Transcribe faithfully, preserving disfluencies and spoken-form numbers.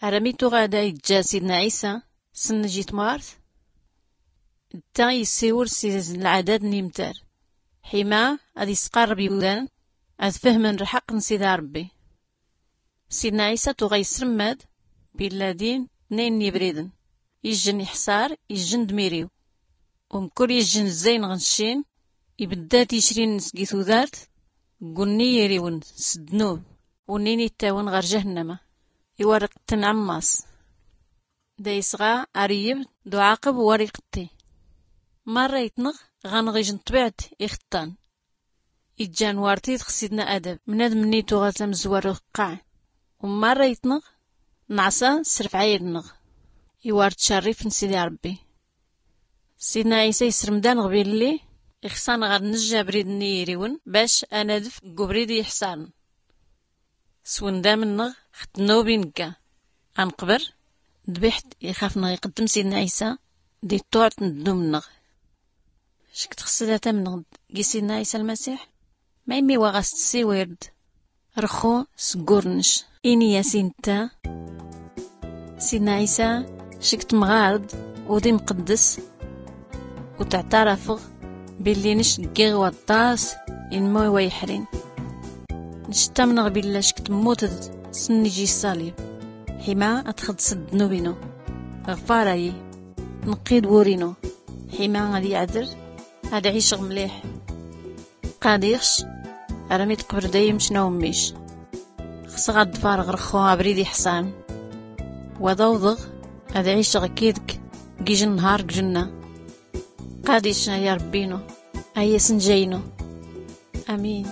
Armi tuɣa da iǧǧa sidna ɛisa s-nn-ijitmart, tta issiwel s-izn lɛadad n-imtar, ḥima ad-isqarreb iwdan ad-fhmn lḥaqq n-sidi aṛbbi. Sidna ɛisa tuɣa isrmmad billa din tnayn n-ibriden, ijjn iḥṣar, ijjn d-miriw. Umkul ijjn zzay n-ɣnccin, ibdda ticrin sgi tudart, gunni iriwn s-ddnub, unnin ittawin ɣar jahnnama, iwarqtn ɛmmas. Da isɣa aryib d-uɛaqb war iqtti. Marra itnɣ ɣanɣ ijn ṭbiɛt ixṭṭan. Iǧǧan war tid ɣ-sidna adab, mnadm-nni tuɣa tamzwar uqqa. Ummarra itnɣ nɛṣa s-rfɛayl-nnɣ iwar tcarrif n-sidi aṛbbi. Sidna ɛisa isrmd-anɣ billi ixṣa-nɣ ad-nijj abrid-nni iriwn bac ad-nadf g-ubrid iḥṣarn. S-wndam-nnɣ ɣ-ddnub inga, ad-nqbr dbiḥt ixaf-nɣ iqddm sidna ɛisa di-ṭṭuɛt n-ddnub-nnɣ. Ckt xsdat-amnɣ gi sidna ɛisa lmasiḥ? Ma immi wa ɣas-tssiwird? Rxu s-gurnc, ini-as inta: Sidna ɛisa, ckt mɣard udi mqdds, u-tɛtarafɣ billi nc ggiɣ waṭṭas inmw i-wa-iḥrin. Nc-ttamnɣ billa ckt mmutd s-nn-iji ṣṣalib ḥima ad-txddsd ddnub-inu. Ɣfar-ayi, nqqi-d wur-inu ḥima ad-iɛdr, ad-ɛicɣ mliḥ. Qadiɣ-c armi d-qbr dayem-c n-awmmic. Xsɣ ad-ḍfarɣ rxu abrid iḥṣan, wa d-awḍɣ ad-ɛicɣ kid-k gijn nhar g-jnna. Qadic ay aṛbbi-inu, ay asnja-inu. Amin.